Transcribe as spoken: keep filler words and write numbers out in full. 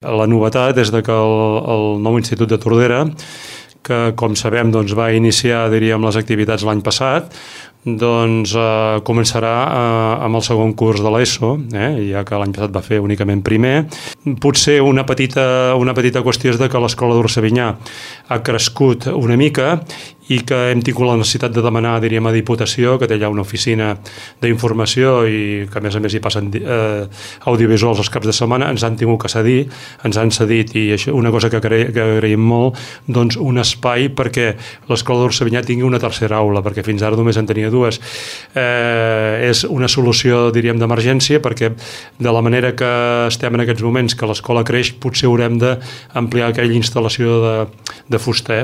La novetat és que el, el nou Institut de Tordera, que com sabem doncs, va iniciar diríem, les activitats l'any passat, doncs eh, començarà eh, amb el segon curs de l'ESO, eh, ja que l'any passat va fer únicament primer. Potser una petita, una petita qüestió és de que l'escola d'Orsavinyà ha crescut una mica i que hem tingut la necessitat de demanar, diríem, a Diputació, que té allà una oficina d'informació i que a més a més hi passen eh, audiovisuals els caps de setmana, ens han tingut que cedir, ens han cedit, i això, una cosa que, agra que agraïm molt, doncs un espai perquè l'escola d'Orsavinyà tingui una tercera aula, perquè fins ara només en tenia dues. Eh, és una solució, diríem, d'emergència, perquè de la manera que estem en aquests moments, que l'escola creix, potser haurem d'ampliar aquella instal·lació de, de fuster.